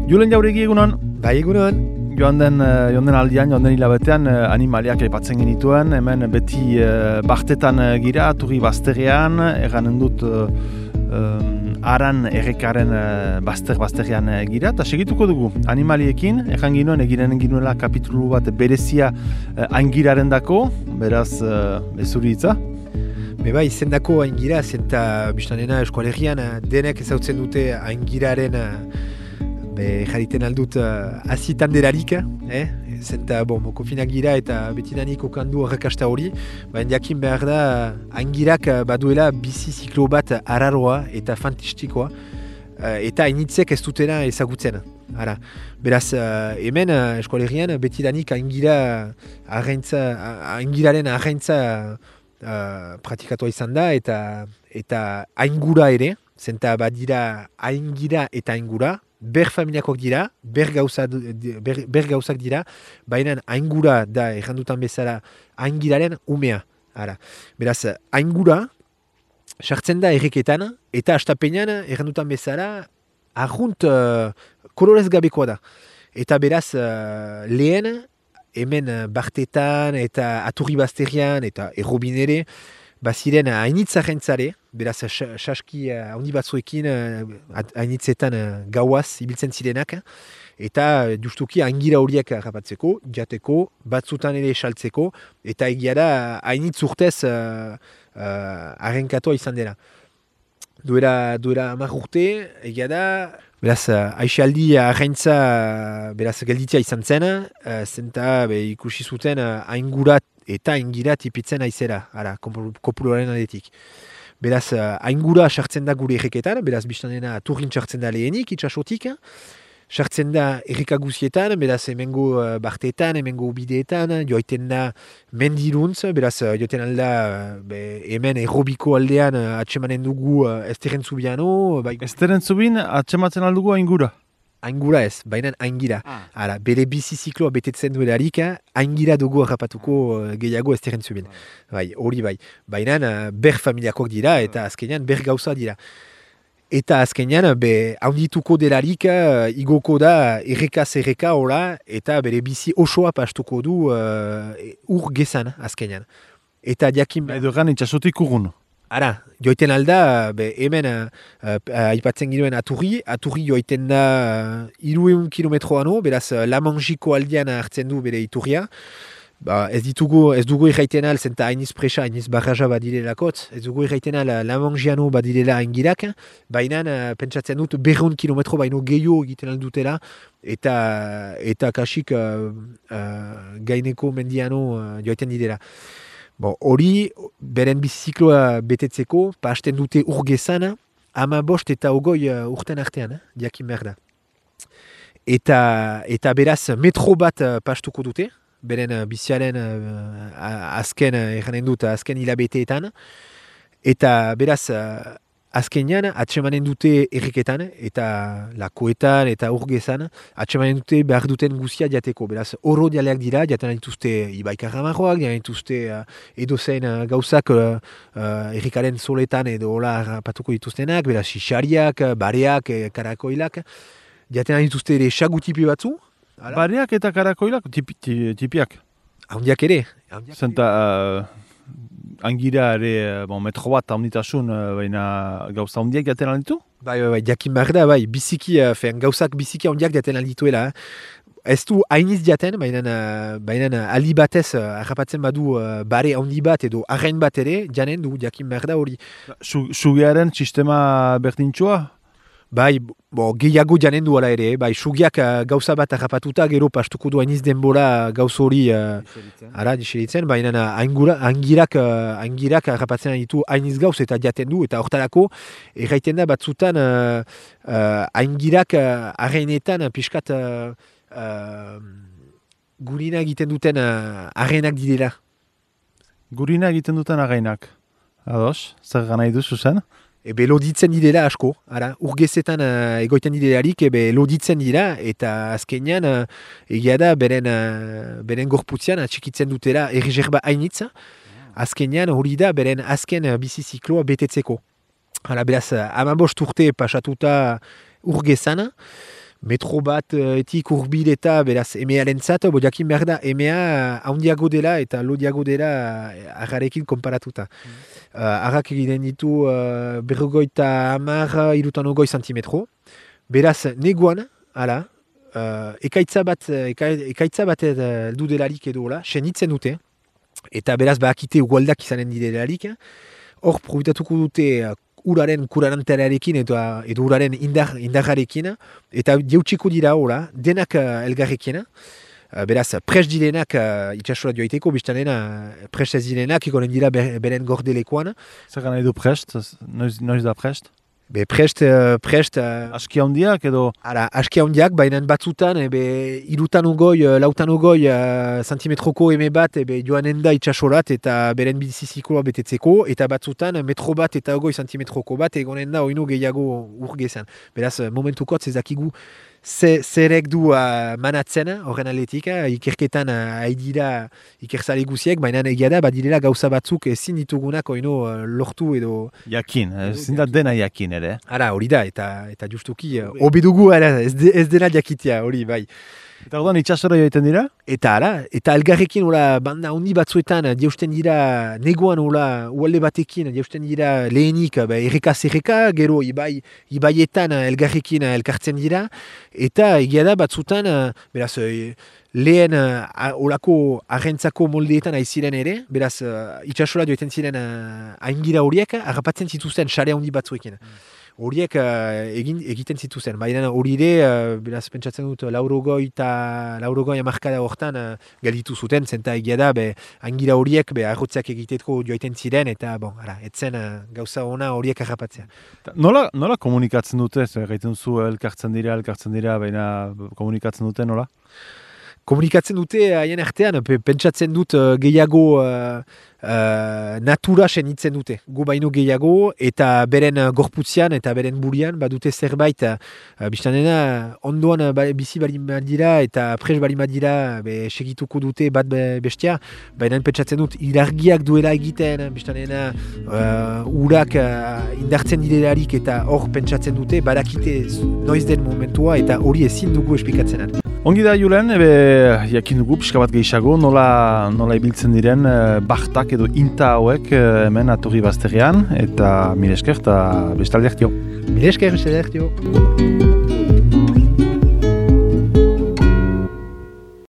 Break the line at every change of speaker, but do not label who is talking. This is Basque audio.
Julen Jauregi egunon?
Bai egunon.
Joan den aldian, joan den hilabetean animaliak aipatzen genituen, hemen beti bartetan gira, Aturri bazterrean, erranen dut aran errekaren bazterrean gira, eta segituko dugu animaliekin, erran ginoen, egiren ginuela kapitulu bat berezia aingiraren dako, beraz ezuri hitza.
Bai, zendako aingira, zenta biztanena eskualerian denek ezautzen dute aingiraren jarriten aldut azitan delarik, zenta mokofinak gira eta betidanik okandu horrekasta hori, baina jakin behar da aingirak baduela bizi ziklo bat araroa eta fantastikoa, eta hainitzek ez dutena ezagutzen. Ara. Beraz, hemen eskualerian betidanik aingiraren arraintza praktikatua izan da eta aingura ere, zenta badira aingira eta aingura, ber familiakoak dira, ber gauzak dira, baina aingura da errandutan bezala aingiraren umea. Ara. Beraz, aingura sartzen da erreketan eta astapenean errandutan bezala arrunt kolorez gabekoa da. Eta beraz, lehen hemen bartetan eta Aturri bazterrean eta errobin ere, baziren hainitza jentzare, beraz saski handi batzuekin hainitzetan gauaz ibiltzen zirenak, eta justuki aingira horiek harrapatzeko, jateko, batzutan ere saltzeko, eta egia da hainitz urtez arrenkatoa izan dela. Duera 10 urte, egia da, beraz, aixaldi arraintza beraz gelditzea izan zen, zenta ikusi zuten aingurat eta aingira tipitzen aizera, kopuloaren aldetik. Beraz, aingura sartzen da gure erreketan, beraz, biztanena Aturrin sartzen da lehenik, itxasotik, sartzen da errekaguzietan, beraz, hemengo bartetan, hemengo bideetan, joaiten da mendiruntz, beraz, joaiten alda hemen errobiko aldean atsemanen dugu Esteren Zubiano.
Esteren Zubin atsematzen aldugu aingura?
Aingura ez, baina aingira. Ara, bere bizi zikloa betetzen duelarik, aingira dugu harrapatuko gehiago Esteren Zubin. Bai, hori bai. Baina ber familiakoak dira eta azkenean ber gauza dira. Eta azkenean, haundituko delarik, igoko da errekaz erreka hola, eta bere bizi osoa pastuko du ur gezan azkenean. Eta diakin...
Edo gan itxasotik urgun.
Ara, joiten alda, hemen aipatzen ginoen Aturri joiten da 300 kilometroano, beraz Lamangiko aldean hartzen du bere iturria. Ez dugu irraiten al, zenta hainiz presa, hainiz barraja badirelakot, ez dugu irraiten al Lamangiano badirela aingirak, baina pentsatzen dut 200 kilometro baino gehiago egiten aldutela, eta kasik gaineko mendiano joiten didela. Hori, beren bizikloa betetzeko, pasten dute urgezan, 15 eta 20 urten artean, jakin behar da. Eta beraz, metro bat pastuko dute, beren biziaren azken hilabeteetan, eta beraz, azkenean, atsemanen dute erreketan, eta lakoetan, eta urgezan, atsemanen dute behar duten guzia jateko. Beraz, oro dialeak dira, jaten dituzte ibaikaramarroak, jaten dituzte edozein gauzak errekaren soletan edo hola patuko dituztenak, beraz, xixariak, bareak, karakoilak, jaten dituzte ere sagutipi batzu.
Bareak eta karakoilak, tipiak?
Handiak ere.
Zenta... Angira ere, metro bat haunditasun, baina gauza handiak jaten alditu?
Bai, jakin behar da, biziki, gauzak biziki handiak jaten aldituela. Ez du hainiz jaten, baina aldi batez harrapatzen badu bare handi bat edo arrain bat ere, janen du jakin behar da hori.
Sugearen sistema berdintxoa?
Bai, gehiago janen du ala ere, sugiak gauza bat harrapatuta, gero pastuko du hainiz denbora gauz hori diseritzen, baina aingirak harrapatzen ditu hainiz gauz eta jaten du, eta hortarako erraiten da batzutan aingirak arrainetan pixkat gurina egiten duten arrainak direla.
Gurina egiten duten arrainak? Ados, zer gana iduzu zen?
Loditzen direla asko, urgezetan egoiten direlarik, loditzen dira, eta azkenean egia da beren gorputzean atxikitzen dutela erreserba hainitza, azkenean hori da beren azken bizizikloa betetzeko. Hala, beraz, 15 urte pasatuta urgezan, metro bat etik urbil eta beraz emearentzat, jakin behar da emea handiago dela eta lodiago dela arrarekin konparatuta. Arrak egiten ditu berrogoita 30 santimetro. Beraz, neguan, hala, ekaitza bat heldu delarik edo, senitzen dute, eta beraz, bakite ugaldak izanen direlarik, hor probitatuko dute uraren kuraranterarekin edo uraren indarrarekin, eta jautsiko dira, denak elgarrekin, beraz, prest direnak itxasora joaiteko, biztanena prest ez direnak, ikonen dira beren gordelekoan.
Zer gana edo prest? Noiz da prest?
Be prest...
Aski handiak edo?
Ara, aski handiak, baina batzutan, irutan ugoi, lautan ugoi santimetroko eme bat, joanen da itxasorat eta beren bizizikoa betetzeko, eta batzutan metro bat eta ugoi santimetroko bat, egonen da oinu gehiago urgezan. Beraz, momentukot zezakigu zerek du manatzen horren aletik, ikerketan haidira ikerzale guziek, baina egia da, badirela gauza batzuk ezin ditugunak oino lortu edo...
Jakin, ezin da dena jakin ere.
Ara, hori da, eta justuki, hobedugu ez dena jakitea, hori, bai.
Eta orduan itxasora joiten dira?
Eta elgarrekin banda handi batzuetan jausten dira neguan ualde batekin jausten dira lehenik erreka, gero ibaietan elgarrekin elkartzen dira, eta egia da batzutan, beraz, lehen olako arrentzako moldeetan aiziren ere, beraz, itxasora joiten ziren aingira horiek, harrapatzen zituzten sare handi batzuekin. Horiek egiten zituzen, baina hori ere, beraz, pentsatzen dut, laurogoi amarkada hortan gelditu zuten, zenta egia da, aingira horiek arrotzeak egiteko joaiten ziren, eta, etzen gauza ona horiek harrapatzea.
Nola komunikatzen dute, gaiten zu elkartzen dira, baina komunikatzen dute, nola?
Komunikatzen dute haien artean, pentsatzen dut gehiago natura senitzen dute. Gu baino gehiago eta beren gorputzian eta beren burian badute zerbait biztanena ondoan bizi balin dira eta pres balin dira segituko dute bat bestia, baina pentsatzen dut irargiak duela egiten biztanena urak indartzen direlarik eta hor pentsatzen dute badakite noiz den momentua eta hori ezin dugu esplikatzen.
Ongi da, Julen, jakin dugu pixka bat gehiago, nola ibiltzen diren bahtak edo inta hauek hemen Aturri bazterrean, eta mire esker eta bestalde ertio.
Mire esker, bestalde ertio.